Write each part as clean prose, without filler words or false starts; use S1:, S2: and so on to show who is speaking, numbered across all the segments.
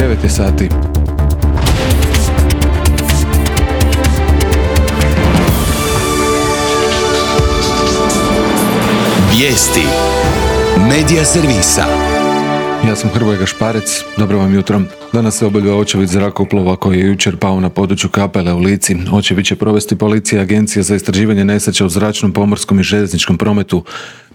S1: 9 je sati.
S2: Vijesti Medija servisa.
S1: Ja sam Hrvoje Gašparec, dobro vam jutro. Danas se obavlja očevid zrakoplova koji je jučer pao na području Kapele u Lici. Očevid će provesti policija i Agencija za istraživanje nesreća u zračnom, pomorskom i željezničkom prometu.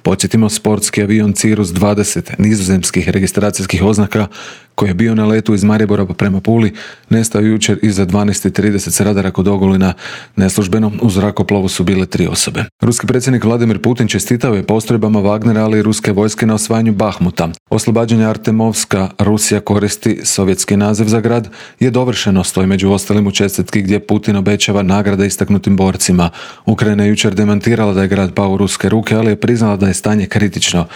S1: Podsjetimo, sportski avion Cirrus 20 nizozemskih registracijskih oznaka koji je bio na letu iz Maribora prema Puli nestao jučer iza 12:30 s radara kod Ogulina. Neslužbeno u zrakoplovu su bile 3 osobe. Ruski predsjednik Vladimir Putin čestitao je postrojbama Wagnera, ali i ruske vojske na osvajanju Bahmuta. Oslobađanje Artemovska, Rusija koristi sovjetski naziv za grad, je dovršeno, stoji među ostalim u čestitki gdje Putin obećava nagrade istaknutim borcima. Ukrajina je jučer demantirala da je grad pao u ruske ruke, ali je priznala da je stanje kritično.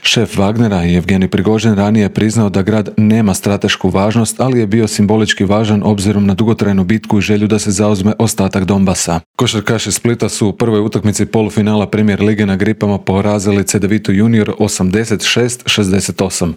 S1: Šef Wagnera, Evgenij Prigožin, ranije je priznao da grad nema stratešku važnost, ali je bio simbolički važan obzirom na dugotrajnu bitku i želju da se zauzme ostatak Donbasa. Košarkaši Splita su u prvoj utakmici polufinala Premier lige na Gripama porazili Cedevitu Junior 86-68.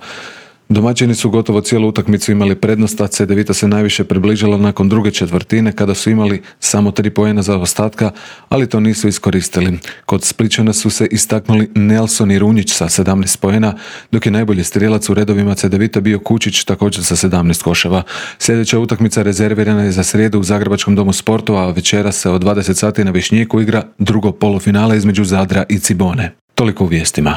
S1: Domaćini su gotovo cijelu utakmicu imali prednost, a Cedevita se najviše približila nakon druge četvrtine kada su imali samo 3 poena zaostatka, ali to nisu iskoristili. Kod Splićana su se istaknuli Nelson i Runjić sa 17 poena, dok je najbolji strijelac u redovima Cedevita bio Kučić također sa 17 koševa. Sljedeća utakmica rezervirana je za srijedu u Zagrebačkom domu sportova, a večera se od 20 sati na Višnjiku igra drugo polufinale između Zadra i Cibone. Toliko u vijestima.